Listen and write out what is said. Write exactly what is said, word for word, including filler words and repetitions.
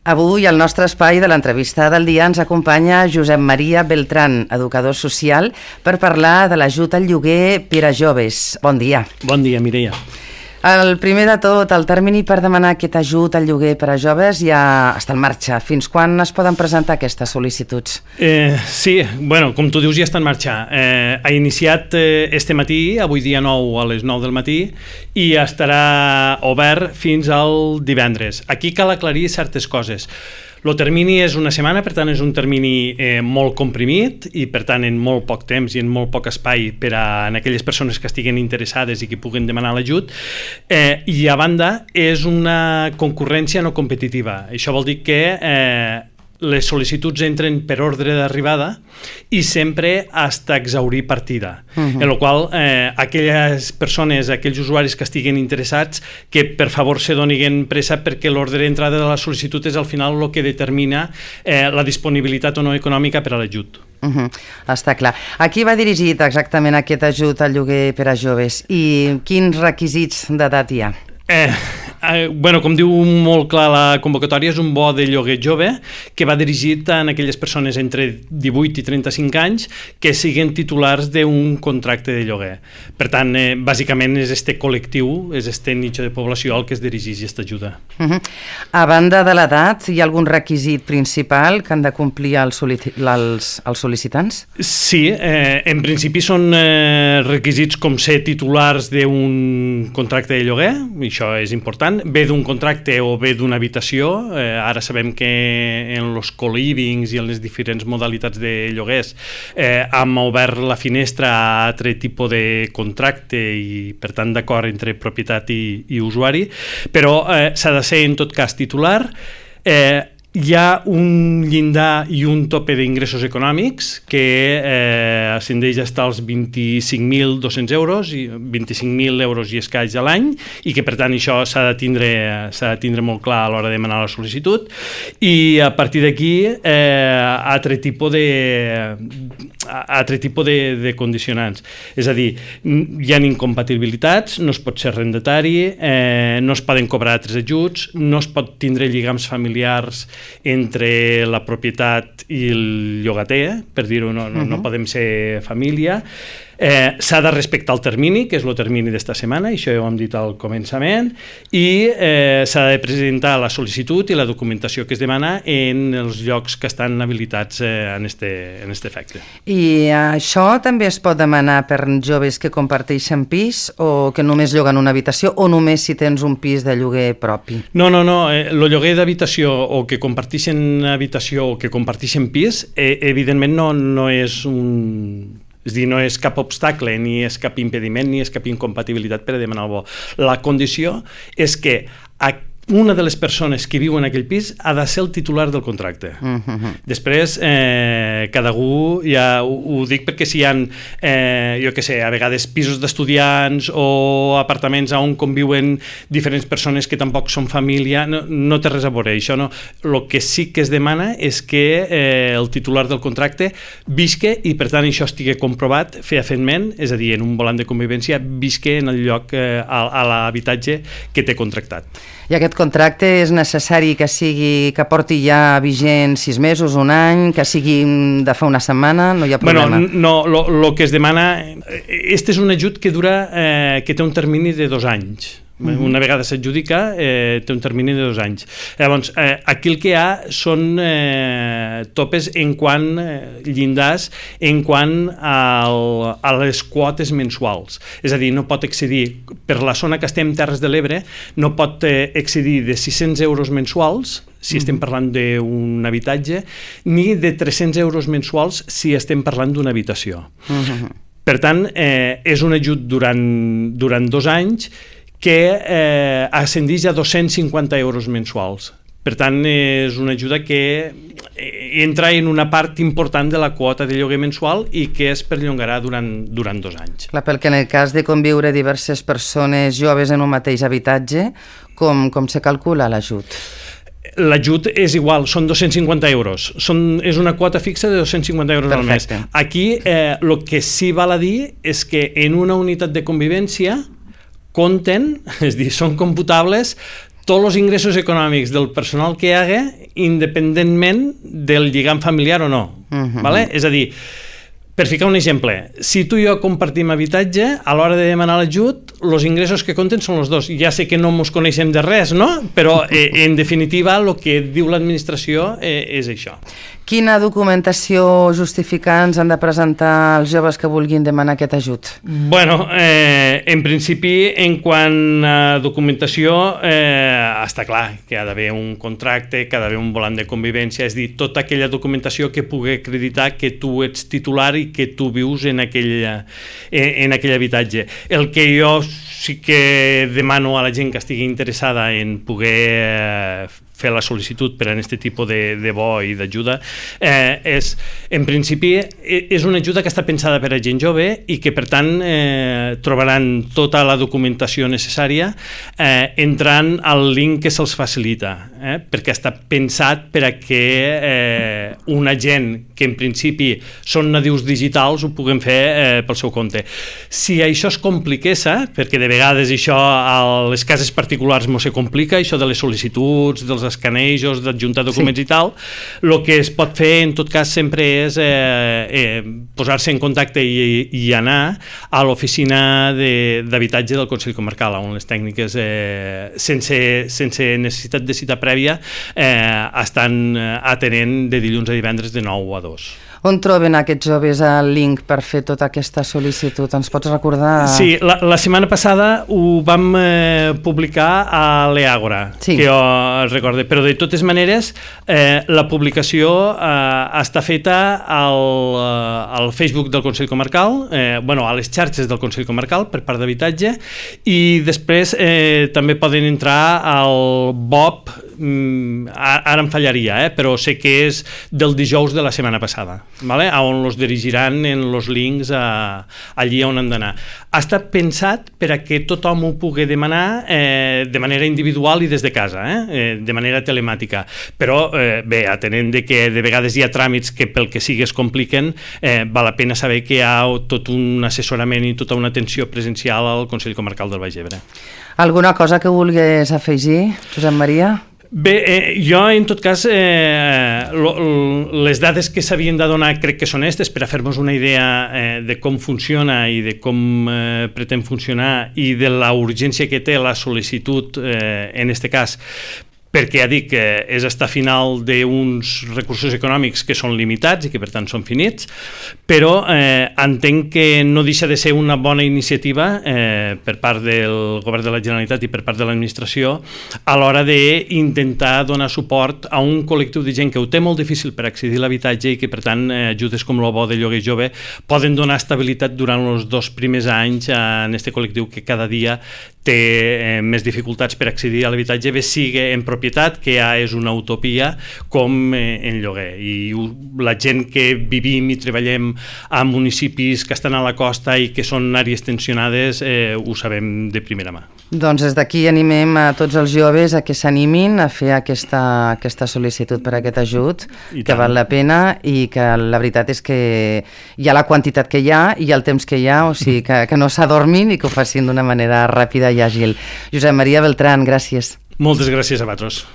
Avui al nostre espai de l'entrevista del dia ens acompanya Josep Maria Beltrán, educador social, per parlar de l'ajut al lloguer per a joves. Bon dia. Bon dia, Mireia. El primer de tot, el termini per demanar aquest ajut al lloguer per a joves ja està en marxa. Fins quan es poden presentar aquestes sol·licituds? Eh, sí, bueno, com tu dius, ja està en marxa. Eh, ha iniciat eh, este matí, avui dia nou a les nou del matí, i estarà obert fins al divendres. Aquí cal aclarir certes coses. El termini és una setmana, per tant és un termini eh, molt comprimit i per tant en molt poc temps i en molt poc espai per a en aquelles persones que estiguen interessades i que puguen demanar l'ajut, eh, i a banda és una concurrència no competitiva. Això vol dir que eh, les sol·licituds entren per ordre d'arribada i sempre hasta exaurir partida. Uh-huh. En la qual eh, aquelles persones, aquells usuaris que estiguen interessats, que per favor se doniguen pressa perquè l'ordre d'entrada de la sol·licitud és al final el que determina eh, la disponibilitat o no econòmica per a l'ajut. Uh-huh. Està clar. A qui va dirigit exactament aquest ajut al lloguer per a joves i quins requisits d'edat hi ha? Eh, eh, bueno, com diu molt clar la convocatòria, és un bo de lloguer jove que va dirigit a aquelles persones entre divuit i trenta-cinc anys que siguin titulars d'un contracte de lloguer. Per tant, eh, bàsicament és este col·lectiu, és este nicho de població al que es dirigeix aquesta ajuda. Uh-huh. A banda de l'edat, hi ha algun requisit principal que han de complir els, els, els sol·licitants? Sí, eh, en principi són eh, requisits com ser titulars d'un contracte de lloguer, això és important, ve d'un contracte o ve d'una habitació. Eh, ara sabem que en els co-livings i en les diferents modalitats de lloguers eh, hem obert la finestra a altre tipus de contracte i per tant d'acord entre propietat i, i usuari, però eh, s'ha de ser en tot cas titular. Eh, Hi ha un llindar i un tope d'ingressos econòmics que eh, ascendeix fins als vint-i-cinc mil dos-cents euros, i vint-i-cinc mil euros i escaig a l'any, i que per tant això s'ha de tindre, s'ha de tindre molt clar a l'hora de demanar la sol·licitud, i a partir d'aquí eh, altre tipus de altre tipus de, de condicionants. És a dir, hi ha incompatibilitats, no es pot ser arrendatari, eh, no es poden cobrar altres ajuts, no es pot tindre lligams familiars entre la propietat i el llogater, per dir-ho, no, no, uh-huh. no podem ser família. Eh, s'ha de respectar el termini, que és el termini d'esta setmana, això ja ho hem dit al començament, i eh, s'ha de presentar la sol·licitud i la documentació que es demana en els llocs que estan habilitats eh, en este, en este efecte. I això també es pot demanar per joves que comparteixen pis o que només lloguen una habitació o només si tens un pis de lloguer propi? No, no, no, eh, el lloguer d'habitació o que comparteixen habitació o que comparteixen pis, eh, evidentment no, no és un... És dir, no és cap obstacle, ni és cap impediment, ni és cap incompatibilitat per a demanar el bo. La condició és que una de les persones que viu en aquell pis ha de ser el titular del contracte. Uh-huh. Després, eh, cada algú, ja ho, ho dic perquè si hi ha, eh, jo què sé, a vegades pisos d'estudiants o apartaments on conviuen diferents persones que tampoc són família, no, no té res a veure. Això no. El que sí que es demana és que eh, el titular del contracte visque i, per tant, això estigui comprovat fefaentment, és a dir, en un volant de convivència, visque en el lloc, eh, a, a l'habitatge que té contractat. I aquest contracte és necessari que sigui que porti ja vigent sis mesos, un any, que sigui de fa una setmana, no hi ha problema? Bueno, no, el que es demana... Este és un ajut que dura, eh, que té un termini de dos anys. Uh-huh. Una vegada s'adjudica, eh, té un termini de dos anys. Llavors, eh, aquí el que hi ha són eh, topes en quant eh, llindars, en quant al, a les quotes mensuals. És a dir, no pot excedir, per la zona que estem, Terres de l'Ebre, no pot eh, excedir de sis-cents euros mensuals, si uh-huh. estem parlant d'un habitatge, ni de tres-cents euros mensuals si estem parlant d'una habitació. Uh-huh. Per tant, eh, és un ajut durant, durant dos anys que eh, ascendeix a dos-cents cinquanta euros mensuals. Per tant, és una ajuda que entra en una part important de la quota de lloguer mensual i que es perllongarà durant, durant dos anys. Clar, perquè en el cas de conviure diverses persones joves en un mateix habitatge, com, com se calcula l'ajut? L'ajut és igual, són dos-cents cinquanta euros. Són, és una quota fixa de dos-cents cinquanta euros Perfecte. al mes. Aquí, eh, el que sí val a dir és que en una unitat de convivència compten, és a dir, són computables tots els ingressos econòmics del personal que hi haga independentment del lligam familiar o no. Uh-huh. Vale? És a dir, per ficar un exemple, si tu i jo compartim habitatge, a l'hora de demanar l'ajut, els ingressos que compten són els dos. Ja sé que no ens coneixem de res, no? Però, eh, en definitiva, el que diu l'administració eh, és això. Quina documentació justificant han de presentar els joves que vulguin demanar aquest ajut? Bueno, eh, en principi, en quant a documentació, eh, està clar que ha d'haver un contracte, que ha d'haver un volant de convivència, és a dir, tota aquella documentació que pugui acreditar que tu ets titular i que tu vius en aquell, en, en aquell habitatge. El que jo sí que demano a la gent que estigui interessada en poder eh, fer la sol·licitud per a aquest tipus de, de bo i d'ajuda, eh, és, en principi, és una ajuda que està pensada per a gent jove i que, per tant, eh, trobaran tota la documentació necessària eh, entrant al link que se'ls facilita, eh, perquè està pensat per a que eh, una gent que, en principi, són nadius digitals ho puguem fer eh, pel seu compte. Si això es compliqués, perquè de vegades això a les cases particulars no se complica, això de les sol·licituds, dels escanejos, d'adjuntar documents sí. i tal, el que es pot fer en tot cas sempre és eh, eh, posar-se en contacte i, i anar a l'oficina d'habitatge de, del Consell Comarcal, on les tècniques eh, sense, sense necessitat de cita prèvia eh, estan atenent de dilluns a divendres de nou a dos. On troben aquests joves el link per fer tota aquesta sol·licitud? Ens pots recordar? Sí, la, la setmana passada ho vam eh, publicar a l'Eàgora, sí. que jo recorde, però de totes maneres eh, la publicació eh, està feta al, al Facebook del Consell Comarcal, eh, bueno, a les xarxes del Consell Comarcal per part d'habitatge, i després eh, també poden entrar al B O P, mm, ara em fallaria, eh, però sé que és del dijous de la setmana passada. Vale? On els dirigiran en els links a, allí on han d'anar. Ha estat pensat per a que tothom ho pugui demanar eh, de manera individual i des de casa, eh? Eh, de manera telemàtica. Però, eh, bé, atenent de que de vegades hi ha tràmits que pel que sigui es compliquen, eh, val la pena saber que hi ha tot un assessorament i tota una atenció presencial al Consell Comarcal del Baix Ebre. Alguna cosa que vulguis afegir, Josep Maria? Bé, eh, jo en tot cas eh, lo, lo, les dades que s'havien de donar crec que són aquestes per a fer-nos una idea eh, de com funciona i de com eh, pretén funcionar i de la urgència que té la sol·licitud eh, en este cas, perquè ja dic que és estar final d'uns recursos econòmics que són limitats i que per tant són finits, però eh, entenc que no deixa de ser una bona iniciativa eh, per part del Govern de la Generalitat i per part de l'administració a l'hora d'intentar donar suport a un col·lectiu de gent que ho té molt difícil per accedir a l'habitatge i que per tant eh, ajudes com el bo de lloguer jove poden donar estabilitat durant els dos primers anys a aquest col·lectiu que cada dia té eh, més dificultats per accedir a l'habitatge, bé sigui en propietat, que ja és una utopia, com eh, en lloguer. I la gent que vivim i treballem a municipis que estan a la costa i que són àrees tensionades eh, ho sabem de primera mà. Doncs des d'aquí animem a tots els joves a que s'animin a fer aquesta, aquesta sol·licitud per a aquest ajut, que val la pena i que la veritat és que hi ha la quantitat que hi ha i el temps que hi ha, o sigui que, que no s'adormin i que ho facin d'una manera ràpida i àgil. Josep Maria Beltrán, gràcies. Moltes gràcies a vosaltres.